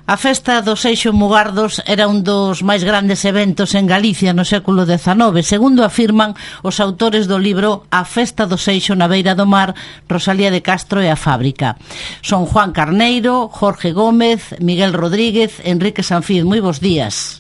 A festa do Seixo Mugardos era un dos máis grandes eventos en Galicia no século XIX, segundo afirman os autores do libro A festa do Seixo na beira do mar, Rosalía de Castro e a fábrica. Son Juan Carneiro, Jorge Gómez, Miguel Rodríguez, Enrique Sanfiz. Moi bons días.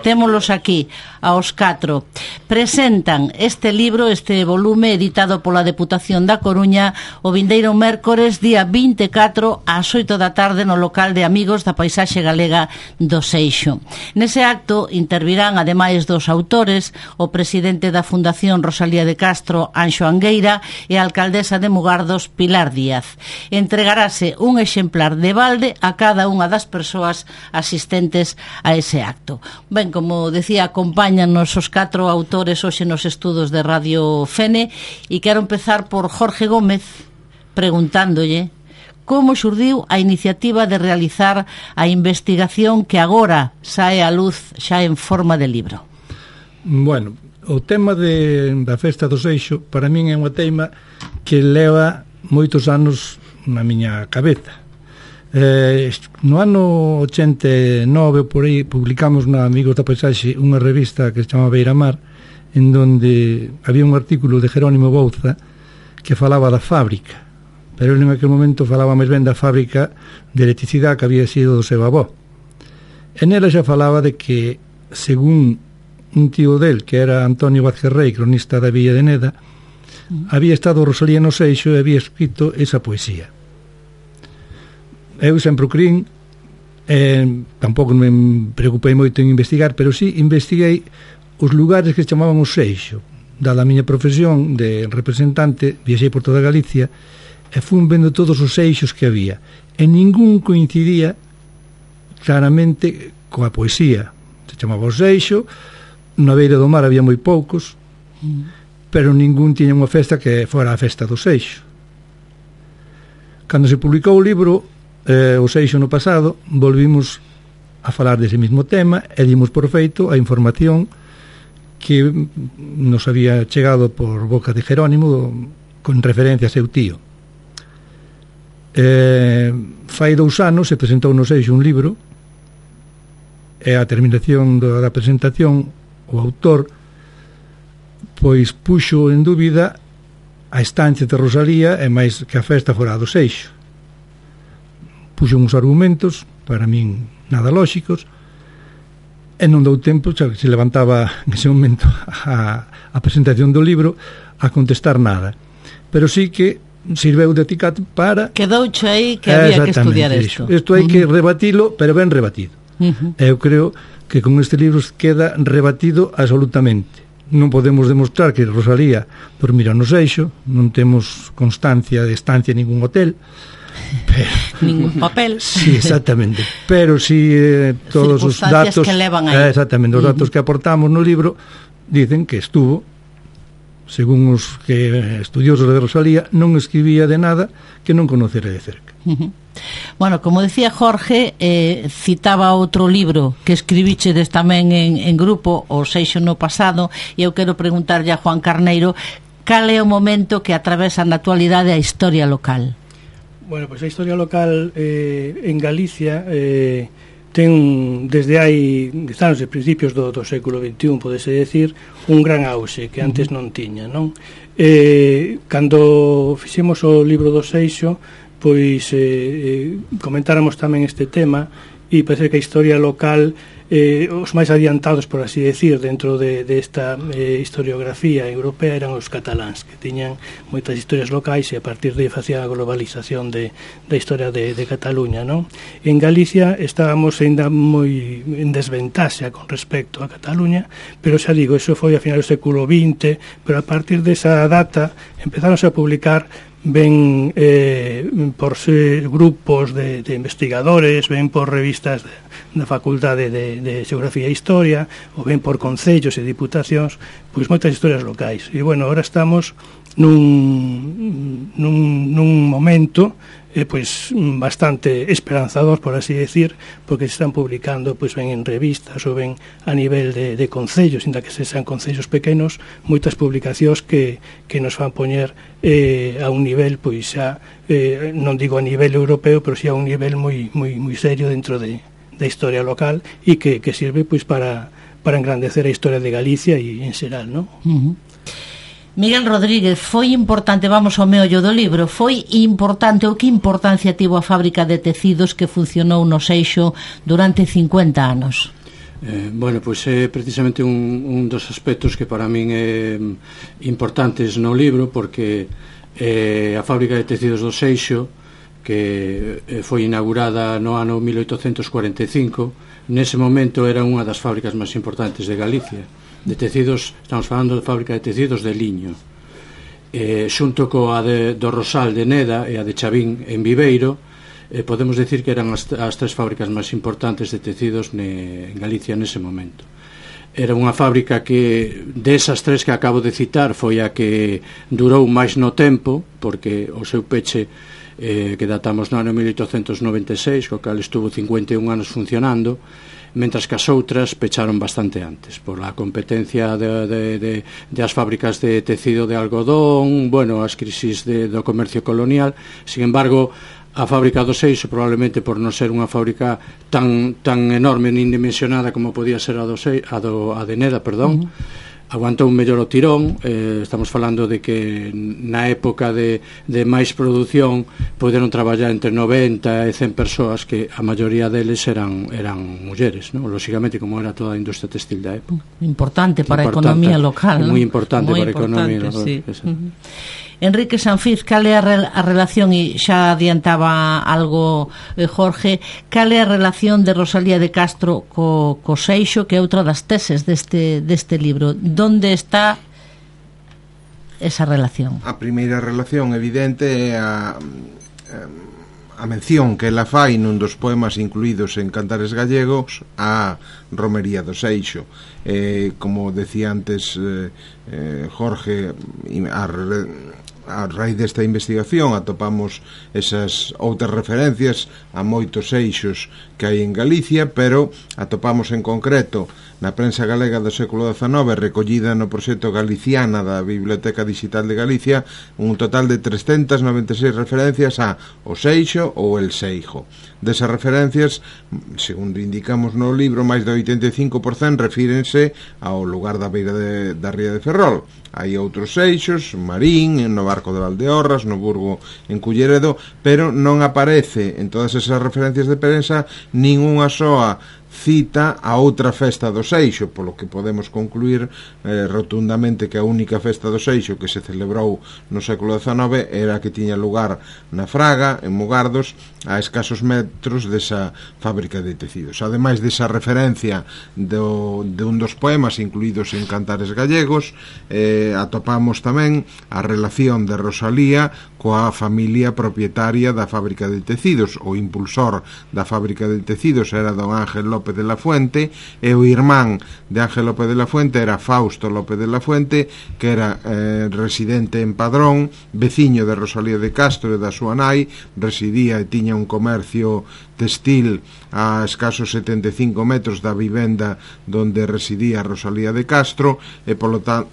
Témolos aquí aos 4. Presentan este libro, este volume editado pola Deputación da Coruña o vindeiro mércores día 24 ás 8 da tarde no local de Amigos da Paisaxe Galega do Seixo. Nese acto intervirán, ademais dos autores, o presidente da Fundación Rosalía de Castro, Anxo Angueira, e a alcaldesa de Mugardos, Pilar Díaz. Entregarase un exemplar de balde a cada unha das persoas asistentes a ese acto. Ben, como decía, acompáñanos os 4 autores hoxe nos estudos de Radio Fene e quero empezar por Jorge Gómez preguntándolle como xurdiu a iniciativa de realizar a investigación que agora sae á luz xa en forma de libro. Bueno, o tema da festa do Seixo para min é unha teima que leva moitos anos na miña cabeza. No ano 89 por aí publicamos na Amigos da Paisaxe unha revista que se chama Beiramar, en donde había un artículo de Jerónimo Bouza que falaba da fábrica, pero en aquel momento falaba máis ben da fábrica de electricidade que había sido do seu avó. En ela xa falaba de que, según un tío del, que era Antonio Vázquez Rey, cronista da Villa de Neda, había estado Rosalía no Seixo e había escrito esa poesía. Eu sempre o crin, tampouco me preocupei moito en investigar, pero sí investiguei os lugares que se chamaban o Seixo. Dada a miña profesión de representante, viaxei por toda Galicia e fun vendo todos os seixos que había. E ningún coincidía claramente coa poesía. Se chamaba o Seixo, na beira do mar había moi poucos, pero ningún tiña unha festa que fora a festa do Seixo. Cando se publicou o libro o Seixo no pasado, volvimos a falar dese mismo tema e dimos por feito a información que nos había chegado por boca de Jerónimo con referencia a seu tío. Fai 2 anos se presentou no Seixo un libro e a terminación da presentación o autor pois puxo en dúbida a estancia de Rosalía e máis que a festa fora do Seixo. Puxo uns argumentos, para min nada lóxicos, e non dou tempo, xa que se levantaba nese momento a presentación do libro, a contestar nada. Pero sí que sirveu de acicate para... Quedouche aí que había que estudiar isto. Isto hai que rebatilo, pero ben rebatido. Eu creo que con este libro queda rebatido absolutamente. Non podemos demostrar que Rosalía dormira no Seixo, non temos constancia de estancia en ningún hotel, pero, ningún papel. Sí, exactamente. Pero si todos os datos que levan aí. Exactamente, os datos que aportamos no libro dicen que estuvo, según os que estudiosos de Rosalía, non escribía de nada que non conocera de cerca. Bueno, como decía Jorge, citaba outro libro que escribichedes tamén en grupo, o Seixo no pasado, e eu quero preguntarlle a Juan Carneiro cal é o momento que atravesa na actualidade a historia local. Bueno, pois a historia local en Galicia ten desde hai anos de principios do século XXI, podese decir, un gran auxe que antes non tiña, non? Cando fixemos o libro do Seixo, pois comentáramos tamén este tema e parece que a historia local os máis adiantados, por así decir, dentro desta historiografía europea eran os cataláns, que tiñan moitas historias locais e a partir de facían a globalización da historia de Cataluña, non? En Galicia estábamos ainda moi en desventaxa con respecto a Cataluña, pero xa digo, eso foi a final do século XX, pero a partir desa data empezaron a publicar ven por grupos de investigadores, ven por revistas da Facultade de Xeografía e Historia, ou ven por concellos e diputacións, pois moitas historias locais. E, bueno, ahora estamos nun momento pois bastante esperanzador, por así decir, porque se están publicando pois ben en revistas ou ben a nivel de concellos, inda que se sean concellos pequenos, moitas publicacións que nos van poñer a un nivel, pois xa non digo a nivel europeo, pero si a un nivel moi serio dentro da historia local, e que sirve pois para engrandecer a historia de Galicia e en xeral, non? Miguel Rodríguez, foi importante, vamos ao meollo do libro, foi importante ou que importancia tivo a fábrica de tecidos que funcionou no Seixo durante 50 anos? Bueno, pois é precisamente un dos aspectos que para min é importantes no libro, porque a fábrica de tecidos do Seixo, que foi inaugurada no ano 1845, nese momento era unha das fábricas máis importantes de Galicia de tecidos. Estamos falando de fábrica de tecidos de liño, xunto coa do Rosal de Neda e a de Chavín en Viveiro. Podemos decir que eran as tres fábricas máis importantes de tecidos en Galicia nese momento. Era unha fábrica que, desas tres que acabo de citar, foi a que durou máis no tempo, porque o seu peche que datamos no ano 1896, co cal estuvo 51 anos funcionando, mentras que as outras pecharon bastante antes por a competencia de as fábricas de tecido de algodón, bueno, as crisis do comercio colonial. Sin embargo, a fábrica do Seixo, probablemente por non ser unha fábrica tan enorme nin dimensionada como podía ser a de Neda, perdón, aguantou un mellor o tirón. Estamos falando de que na época de máis produción poderon traballar entre 90 e 100 persoas, que a maioría deles eran mulleres, ¿no? Lóxicamente, como era toda a industria textil da época. Importante para a economía local, moi importante para a economía local, sí. Enrique Sanfiz, cal é a relación, e xa adiantaba algo Jorge, cal é a relación de Rosalía de Castro co Seixo, que é outra das teses deste libro? Donde está esa relación? A primeira relación evidente é a mención que ela fai nun dos poemas incluídos en Cantares Gallegos a Romería do Seixo. Como decía antes Jorge, a raíz desta investigación atopamos esas outras referencias a moitos seixos que hai en Galicia, pero atopamos en concreto na prensa galega do século XIX, recollida no proxecto Galiciana da Biblioteca Digital de Galicia, un total de 396 referencias a o Seixo ou el Seijo. Desas referencias, segundo indicamos no libro, máis do 85% refírense ao lugar da beira da ría de Ferrol. Hai outros seixos, Marín, no Barco de Valdeorras, no Burgo en Culleredo, pero non aparece en todas esas referencias de prensa ninguna soa cita a outra festa do Seixo, polo que podemos concluir rotundamente que a única festa do Seixo que se celebrou no século XIX era a que tiña lugar na Fraga, en Mugardos, a escasos metros desa fábrica de tecidos. Ademais desa referencia de un dos poemas incluídos en Cantares Gallegos, atopamos tamén a relación de Rosalía coa familia propietaria da fábrica de tecidos. O impulsor da fábrica de tecidos era don Ángel López de la Fuente, e o irmán de Ángel López de la Fuente era Fausto López de la Fuente, que era residente en Padrón, veciño de Rosalía de Castro e da súa nai, residía e tiña un comercio textil a escasos 75 metros da vivenda donde residía Rosalía de Castro, e polo tanto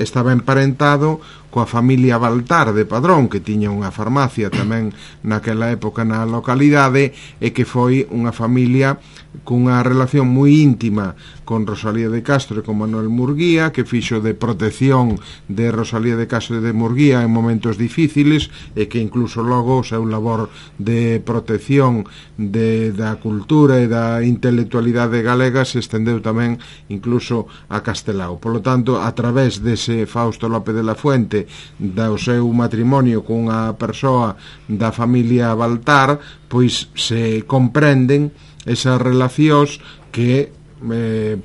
estaba emparentado coa familia Baltar de Padrón, que tiña unha farmacia tamén naquela época na localidade, e que foi unha familia cunha relación moi íntima con Rosalía de Castro e con Manuel Murguía, que fixo de protección de Rosalía de Castro e de Murguía en momentos difíciles, e que incluso logo o seu labor de protección da cultura e da intelectualidade galega se estendeu tamén incluso a Castelao. Por lo tanto, a través dese Fausto López de la Fuente, do seu matrimonio cunha persoa da familia Baltar, pois se comprenden esas relacións que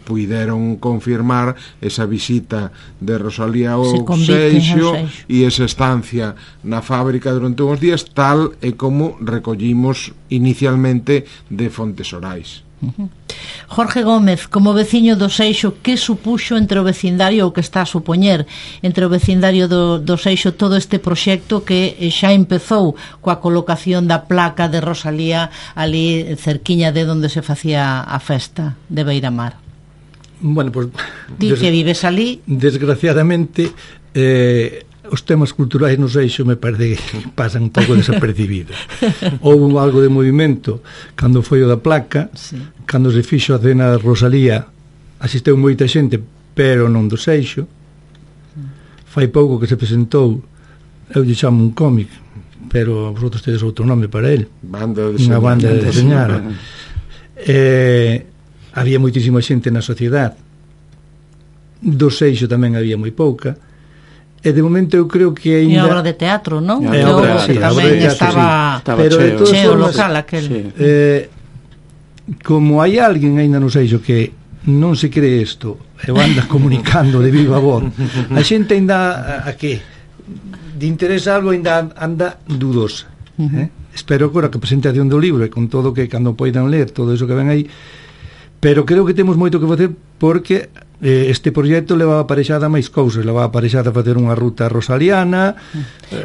puideron confirmar esa visita de Rosalía ao Seixo e esa estancia na fábrica durante uns días, tal e como recollimos inicialmente de fontes orais. Jorge Gómez, como veciño do Seixo, que supuxo entre o vecindario, ou que está a supoñer entre o vecindario do Seixo, todo este proxecto que xa empezou coa colocación da placa de Rosalía ali cerquiña de onde se facía a festa de Beiramar? Bueno, pues, Ti que vives ali. Desgraciadamente os temas culturais no Seixo me parece que pasan un pouco desapercibidos. Houve algo de movimento cando foi o da placa, sí. Cando se fixo a cena de Rosalía asisteu moita xente, pero non do Seixo. Fai pouco que se presentou, eu lle chamo un cómic, pero vosotros tedes outro nome para ele, unha banda de deseñar. Había moitísima xente na sociedade, do Seixo tamén había moi pouca. E de momento eu creo que ainda... E obra de teatro, non? Sí, tamén estaba cheo local aquel. Sí. Como hai alguén ainda no Seixo que non se cree isto e anda comunicando de viva voz, a xente ainda a que de interés algo ainda anda dudosa. Espero agora que a presentación do libro e con todo que cando poidan ler todo iso que ven aí, pero creo que temos moito que facer porque este proxecto leva aparexada máis cousas, leva aparexada a facer unha ruta rosaliana,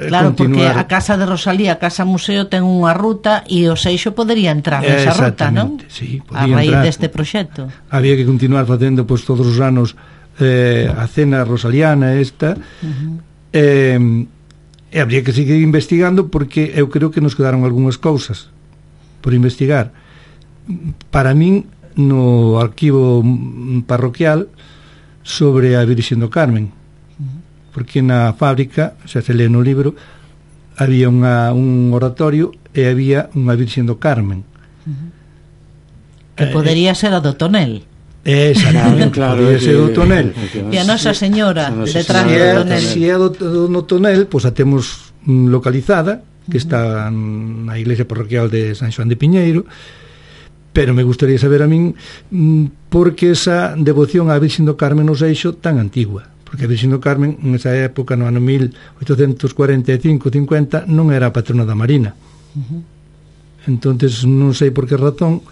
claro, porque a Casa de Rosalía, a Casa Museo ten unha ruta e o Seixo podería entrar nesa ruta, non? Sí, a raíz deste proxecto. Había que continuar facendo pois, todos os anos a cena rosaliana esta, e habría que seguir investigando porque eu creo que nos quedaron algunhas cousas por investigar. Para min, no arquivo parroquial sobre a Virxen do Carmen, porque na fábrica, xa se lee no libro, había un oratorio e había unha Virxen do Carmen, que podería ser a do Tonel. Exactamente, claro, podería ser do Tonel. E a Nosa Señora detrás do Tonel. Se é do Tonel, pois a temos localizada, que está na iglesia parroquial de San Xoán de Piñeiro. Pero me gustaría saber a min porque esa devoción á Virxen do Carmen no Seixo tan antigua, porque a Virxen do Carmen nesa época, no ano 1845-50, non era a patrona da Marina. Entonces non sei por que razón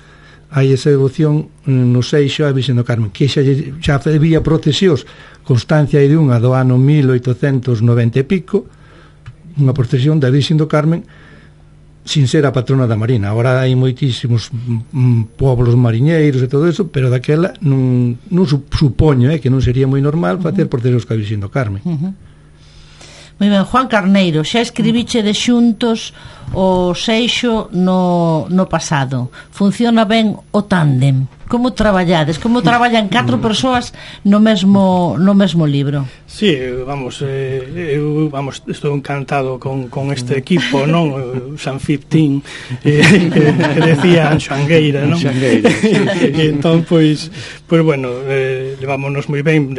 hai esa devoción no Seixo á Virxen do Carmen, que xa había procesións, constancia de unha do ano 1890 e pico, unha procesión da Virxen do Carmen sin ser a patrona da Marina. Agora hai moitísimos poblos mariñeiros e todo eso, pero daquela non supoño que non sería moi normal facer procesións ca Virxen do Carmen. Moi ben, Juan Carneiro, xa escribiche de xuntos o Seixo no pasado. Funciona ben o tándem? Como traballades? Como traballan 4 persoas no mesmo libro? Sí, vamos, eu estou encantado con este equipo, non? San 15 que decía Anxangueira, non? E entón, pois bueno, levámonos moi ben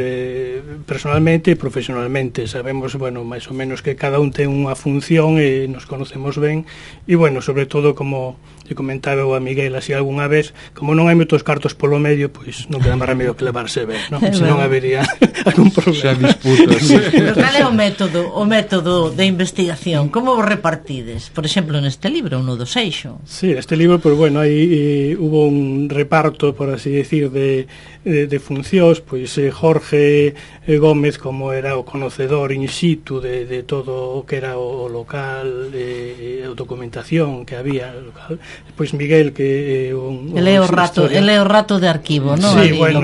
personalmente e profesionalmente. Sabemos, bueno, máis ou menos que cada un ten unha función e nos conocemos ben. E, bueno, sobre todo, como lle comentaba a Miguel así algunha vez, como non hai moitos cartos polo medio, pois non queda máis remedio que levarse ben, non? Se non habería algún problema. Xa disputas. Pero cal é o método de investigación? Como vos repartides? Por exemplo, neste libro, uno do Seixo. Sí, este libro, pois bueno, aí hubo un reparto, por así decir, de funcións, pois Jorge Gómez, como era o conocedor in situ de todo o que era o local, a documentación que había local. Pois Miguel, que ele é o rato de arquivo, non? Sí, bueno,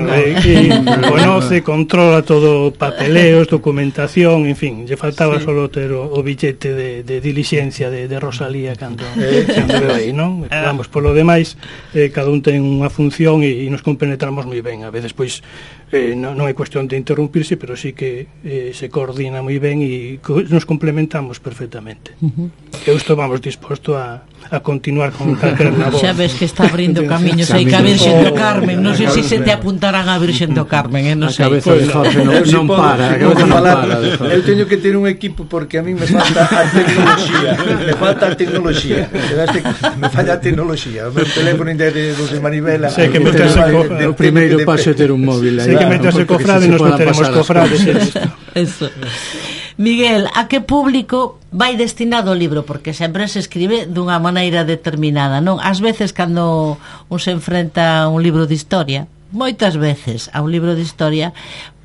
conoce, controla todo papeleos, documentación, en fin, lle faltaba solo ter o billete de dilixencia de Rosalía cando veo aí, non? Vamos, polo demais, cada un ten unha función e nos compenetramos moi ben. A veces, pois, non é cuestión de interrumpirse, pero sí que se coordina moi ben e nos complementamos perfectamente. Eu estou, vamos, disposto a continuar con calquera labor. Xa ves que está abrindo camiños aí ca Virxen do Carmen. Non sei se te apuntarán a Virxen do Carmen, non sei. A cabeza de Jorge non para. Eu teño que ter un equipo porque a mí me falta a tecnoloxía. Me falla a tecnoloxía. O meu teléfono ainda é de manivela. Sei que o primeiro paso é ter un móvil aí. Sei que meterse cofrade, nos meteremos cofrades. Eso. Miguel, a que público vai destinado o libro? Porque sempre se escribe dunha maneira determinada, non? Ás veces cando un se enfrenta a un libro de historia, moitas veces a un libro de historia,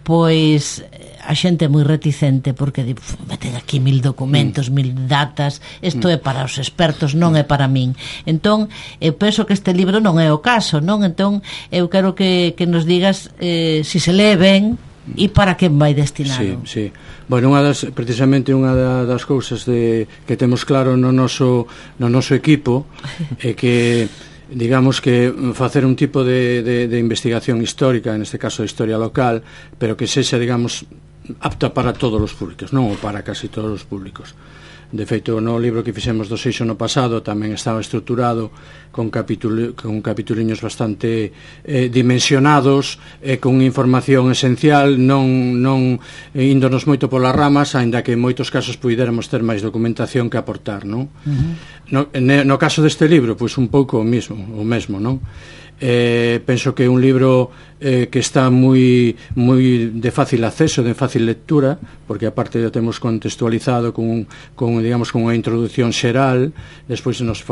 pois a xente é moi reticente porque di, meten aquí 1000 documentos, 1000 datas, isto é para os expertos, non é para min. Entón, eu penso que este libro non é o caso, non? Entón, eu quero que nos digas se se lee ben e para quen vai destinado. Sí. Bueno, precisamente unha das cousas que temos claro no noso equipo é que, digamos, que facer un tipo de investigación histórica, en este caso de historia local, pero que sexa, digamos, apta para todos os públicos, non para casi todos os públicos. De feito, no libro que fixemos do Seixo no pasado tamén estaba estruturado con capituliños bastante dimensionados, con información esencial, non índonos moito polas ramas, aínda que en moitos casos puidéramos ter máis documentación que aportar, non? No caso deste libro, pois un pouco o mesmo, non? Penso que é un libro que está moi de fácil acceso, de fácil lectura, porque aparte ya temos contextualizado con unha introducción xeral. Despois nos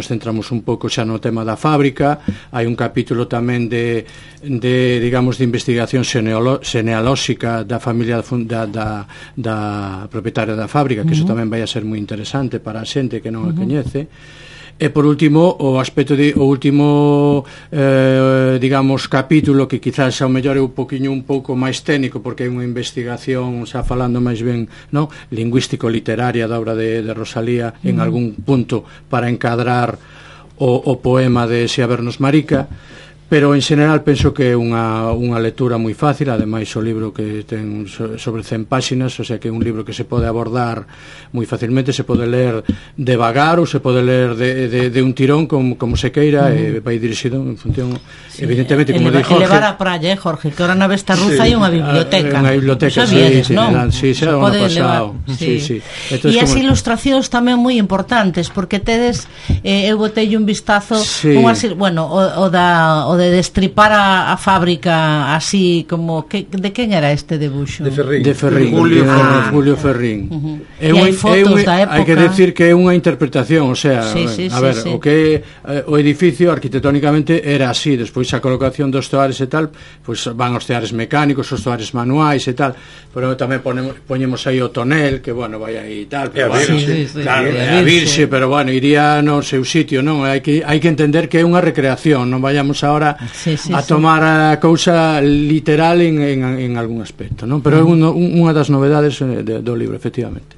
centramos un pouco xa no tema da fábrica. Hai un capítulo tamén de investigación genealóxica da familia da propietaria da fábrica, que iso tamén vai a ser moi interesante para a xente que non a coñece. E por último, o último digamos, capítulo, que quizás ao mellor é un pouco máis técnico, porque é unha investigación, xa falando máis ben, non, lingüístico-literaria da obra de Rosalía, en algún punto para encadrar o poema de Si habernos marica. Pero en general penso que é unha lectura moi fácil. Ademais, o libro que ten sobre 100 páxinas, o sea que é un libro que se pode abordar moi facilmente, se pode ler devagar ou se pode ler de un tirón, como se queira, e vai dirixido en función, evidentemente, como di Jorge, elevar a praia, Jorge, que ahora na Vesta Rusa hai unha biblioteca. Unha biblioteca, sí, xa o ano pasado. Sí. E as ilustracións tamén moi importantes, porque tedes, eu botei un vistazo, bueno, o de destripar a fábrica así como de quen era este debuxo? De Ferrín, Julio Ferrín. E hai fotos da época. Hai que decir que é unha interpretación, o sea, o que o edificio arquitectónicamente era así. Despois a colocación dos toares e tal, pois van os toares mecánicos, os toares manuais e tal, pero tamén poñemos aí o tonel, que bueno, vai aí e tal, pero a Virxe, pero bueno, iría no seu sitio, non? Hai que entender que é unha recreación, non vayamos ahora a tomar a cousa literal en algún aspecto, non? Pero é unha das novedades do libro, efectivamente.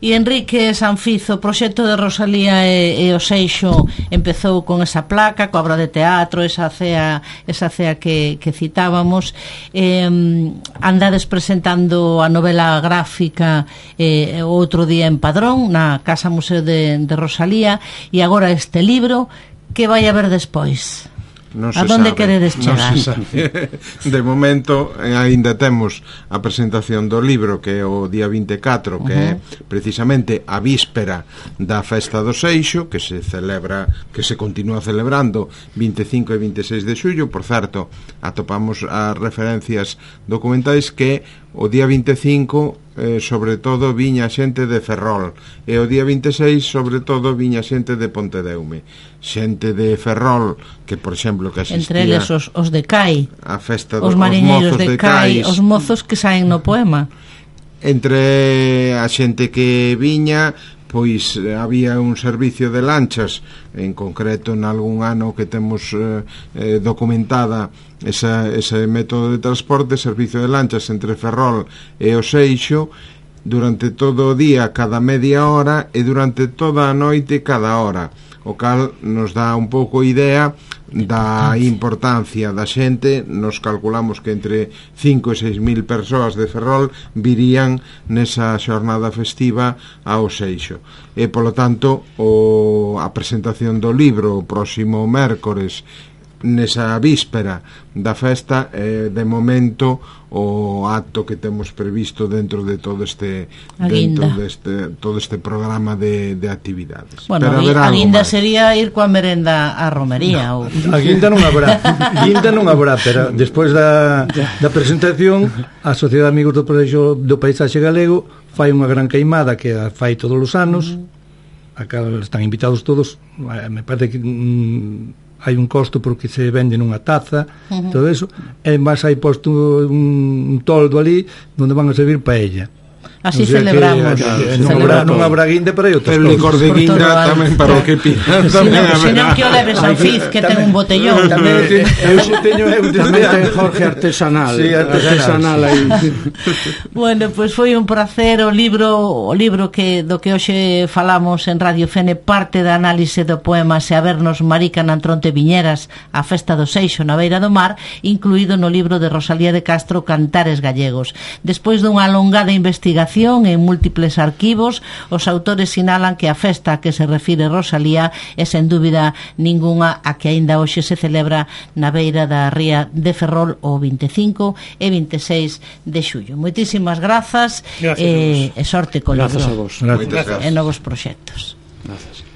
E Enrique Sanfizo, o proxecto de Rosalía e o Seixo empezou con esa placa, coa obra de teatro, esa cea que citábamos. Andades presentando a novela gráfica outro día en Padrón, na Casa Museo de Rosalía, e agora este libro. Que vai haber despois? A donde queredes chegar? De momento ainda temos a presentación do libro, que é o día 24, que é precisamente a víspera da Festa do Seixo, que se continúa celebrando 25 e 26 de xullo. Por certo, atopamos as referencias documentais que o día 25 sobre todo viña xente de Ferrol, e o día 26 sobre todo viña xente de Pontedeume, xente de Ferrol que, por exemplo, que asistía entre eles os de CAI, a festa os mariñeiros de CAI, os mozos que saen no poema. Entre a xente que viña, pois había un servicio de lanchas, en concreto en algún ano que temos documentada ese método de transporte, servicio de lanchas entre Ferrol e o Seixo, durante todo o día cada media hora e durante toda a noite cada hora, o cal nos dá un pouco idea da importancia da xente. Nos calculamos que entre 5 e 6 mil persoas de Ferrol virían nesa xornada festiva ao Seixo, e polo tanto a presentación do libro o próximo mércores nesa víspera da festa, de momento o acto que temos previsto dentro de todo este todo este programa de actividades. Bueno, a guinda sería ir coa merenda á romería ou... A guinda non habrá, pero despois da presentación, a Sociedade de Amigos do Proxecto do Paisaxe Galego fai unha gran queimada que a fai todos os anos, a cal están invitados todos. Me parece que hai un costo porque se vende nunha taza, todo eso, e máis hai posto un toldo ali onde van a servir paella. Así celebramos. Non habrá guinda, pero hai outros. El licor de guinda tamén para o que pidan. Senón que o leves ao Fiz, que ten un botellón. Tamén ten Jorge artesanal. Sí, artesanal aí. Bueno, pois foi un placer. O libro que do que hoxe falamos en Radio Fene parte da análise do poema Se a vernos Marica Nantronte Viñeras, a festa do Seixo na beira do mar, incluído no libro de Rosalía de Castro, Cantares Gallegos. Despois dunha alongada investigación en múltiples arquivos, os autores sinalan que a festa a que se refire Rosalía é sen dúbida ningunha a que aínda hoxe se celebra na beira da ría de Ferrol o 25 e 26 de xullo. Moitísimas grazas e sorte con Grazas a vos. e novos proxectos. Grazas.